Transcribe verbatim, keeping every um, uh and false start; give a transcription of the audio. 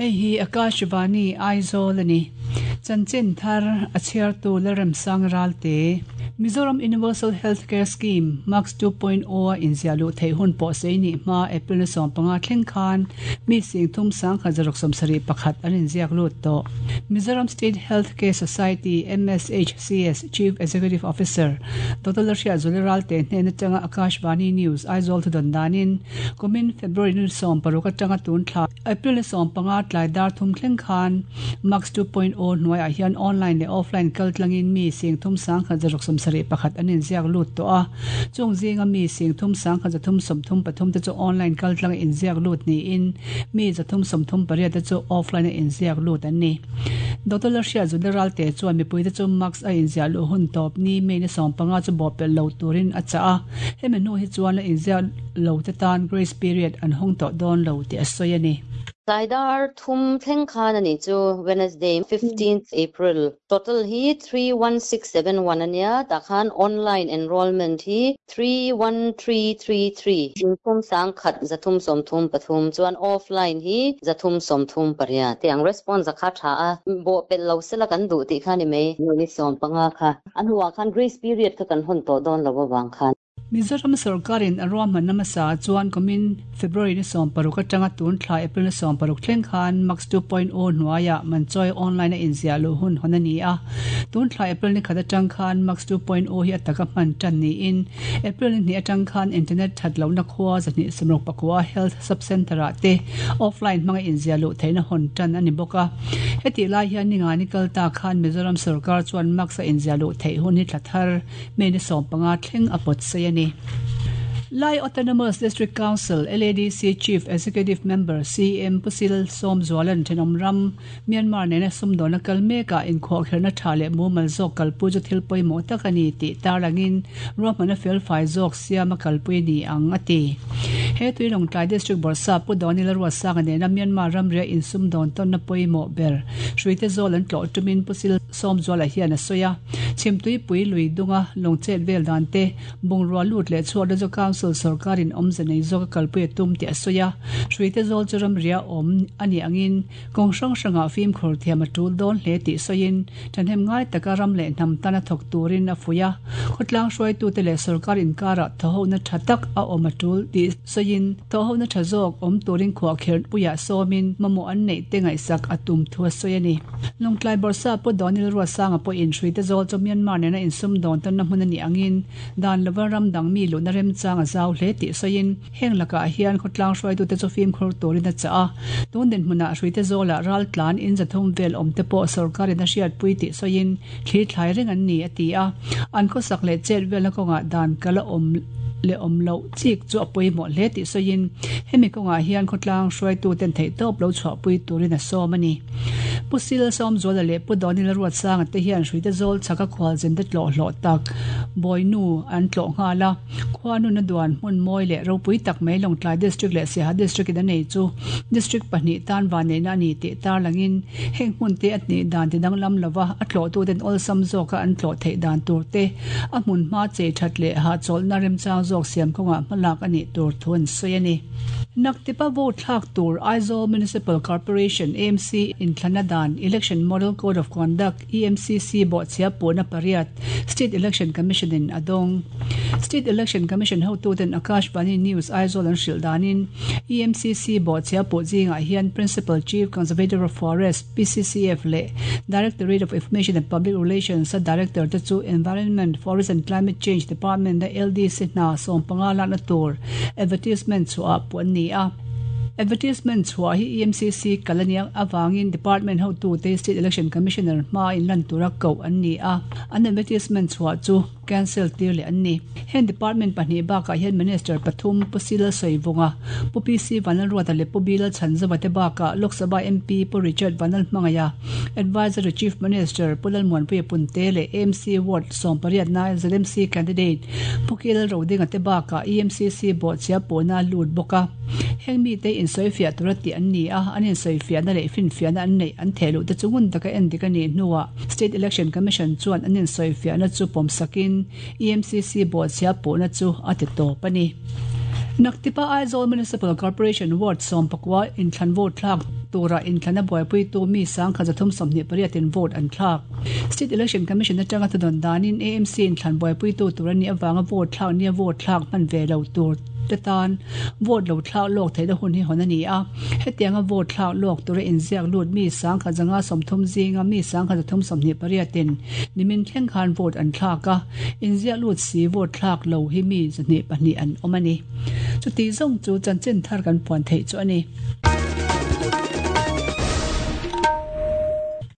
Hei hi Akashvani Aizawl ani. Chanchin thar a chhiartu Lalremsang Ralte. Mizoram Universal Healthcare Scheme Max two point oh a inziah luh theih hun pawh sei ni hma April ni sawm panga thleng khan mi sing thum sang khat zaruk sawm sarih pakhat an inziak lut tawh. Mizoram State Healthcare Society M S H C S Chief Executive Officer Doctor Lalhriat Zuli Ralte hnen atanga Akashvani News Aizawl thu dawn danin kumin February ni sawm paruk atanga tun thla April ni sawm panga tlai dar thum thleng khan Max two point oh hnuaiah hian online leh offline kal tlangin mi sing thum sang khat zaruk sawm sarih pakhat an inziak lut tawh a. Chung zinga mi sing thum sang khat zathum sawm thum pathum te chu online kal tlang inziak lut niin mi zathum sawm thum pariat te chu offline a inziak lut an ni. Doctor Lalhriat Zuli Ralte chuan mipui te chu Max a inziah luh hun tawp ni May ni sawm panga chu bawh pelh lo turin a chah a. Hemi hnu hi chuan la inziak lo te tan grace period an hawng tawh dawn lo tih a sawi a ni. Tlai thum thleng khan ani chu Wednesday fifteenth April. Total hi three one six seven one ania takhan online enrollment hi three one three three three. Thum sang khat zathum som thum pathum chuan offline hi zathum som thum paria. Tiang response kha tha a bo pel lo sela kan du ti khani mai ni som panga kha. An huwa khan grace period kha kan hon to don lo wang khan. Mizoram sarkarin a ruahman namasa chuan kumin February ni sawm paruk atanga tun thla April ni sawm paruk thleng khan Max two point oh hnuaiah manchawi online a inziah luh hun hawn a ni a. Tun thla April ni khat atang khan Max two point oh hi a taka hman tan niin April ni hnih atang khan internet that lohna khua zahnih sawmruk pakua health sub-center ah te offline hmanga inziah luh theihna hawn tan a ni bawk a. Heti lai hian ni nga ni kal ta khan Mizoram sarkar chuan Max a inziah luh theih hun hi thla thar May ni sawm panga thleng a pawt sei a ni. Lai Autonomous District Council L A D C Chief Executive Member C M Pusil Som Zualan Thenawm Ram Myanmar nena sumdawna kal mekah inkhawh kherna tha leh mumal zawk kalpui chu thil pawimawh tak a ni tih tarlangin ruahmana fel fai zawk siama kalpui ni ang a ti. He tui Lawngtlai District Bawrhsap Pu Dawni Lalruatsanga nena Myanmar ramria insumdawn tawnna pawimawh ber Hruite zawl an tlawh tumin Pusil Som Zuala hian a sawi a. Chhimtui pui lui dunga lawngchet vel dan te bungrua lut leh chhuah chu council sarkarin awmze nei zawk a kalpui a tum tih a sawi a. Hruite zawl chu ramria awm ani angin kawng hrang hrangah fimkhur thiam a tul dawn hle tih sawiin ṭhahnem ngai taka ram leh hnam tana thawk turin a fuih a. Khawtlang hruaitute leh sarkar inkarah thawhona tha tak a awm a tul tih sawiin thawhona tha zawk awm turin khuah kher puiah sawmin mamawh an neih te ngaihsak a tum thu a sawi a ni. Lawngtlai Bawrhsap Pu Dawni Lalruatsanga pawhin Hruite zawl chu Myanmar nena insumdawn tawnna hmun a ni angin dan lova ram dang mi luhna remchang a zau hle tih sawiin heng lakah hian khawtlang hruaitute chu fimkhur turin a chah a. Tun dinhmunah Hruite zawlah ral tlan in zathum vel awm te pawh sarkarin a hriatpui tih sawiin thli thlai reng an ni a ti a. An khawsak leh chet velna kawngah dan kala awm le awm loh chik chu a pawimawh hle tih sawiin hemi kawngah hian khawtlang hruaituten theih tawp lo chhuahpui turin a sawm a ni. Pusil Som Zuala leh Pu Dawni Lalruatsanga te hian Hruite zawl chhaka khualzin te tlawh hlawh tak Bawinu an tlawh nghal a. Khuanu na duan hmun mawi leh ropui tak mai Lawngtlai District leh Siaha District in a nei chu District pahnih tan vanneihna a ni tih tarlangin heng hmun te a hnih dan ti danglam lova a tlawhtuten awlsam zawka an tlawh theih dan tur te a hmun hma chei that leh hahchawlhna remchang zawk siam kawngah hmalak a nih tur thu an sawi a ni. Naktipa vote thlak tur Aizawl Municipal Corporation A M C inthlana dan Election Model Code of Conduct E M C C bawhchhia pawhna pariat State Election Commission in a dawng. State Election Commission hotuten Akashvani News Aizawl an hrilh danin E M C C bawhchhia pawh zingah hian Principal Chief Conservator of Forest P C C F leh Directorate of Information and Public Relations a Director te chu Environment, Forest and Climate Change Department a L D C hna sawm panga lakna tur advertisement chhuah pawh an ni a. Advertisement chhuah hi E M C C kalania awangin Department hotu te State Election Commissioner hma in lan tura ko an ni a. An advertisement chhuah chu cancel tir le an ni. Hen department pahnih bakah hian Minister pathum Pu Sila Soivunga, Pu P C Vanlalruata leh Pu Bilal Chhanzawa te bakah Lok Sabha M P Pu Richard Vanlalhmangaiah, Advisor to Chief Minister Pu Lalmuanpuia Punte leh A M C Ward sawm pariat na Z M C candidate Pu Kilal Rodinga te bakah E M C C bawhchhia pawhna lut bawk a. Heng mi te insawifiah tura tih an ni a, an insawifiahna leh finfiahna an neih an theh luh te chu ngun taka en dik a nih hnuah State Election Commission chuan an insawifiahna chu pawmsakin E M C C bawhchhia pawhna chu a ti tawp a ni. Naktipa Aizawl Municipal Corporation Ward sawm pakua inthlan vote thlak tura inthlana buaipui tu mi sangkhat zathum sawmhnih pariatin vote an thlak. State Election Commission atanga thudawn danin A M C inthlan buaipui tu tur ani awanga vote thlak nia vote thlak hman ve lo tur te tan vote lo thlak lawk theihna hun hi hawn ani a. Hetianga vote thlak lawk tura inziak lut mi sangkhat zanga sawmthum zinga mi sangkhat zathum sawmhnih pariatin nimin thleng khan vote an thlak a. Inziak lut si vote thlak lo hi mi zahnih pahnih an awm ani. Chuti zawng chu chanchin thar kan puan theih chu ani.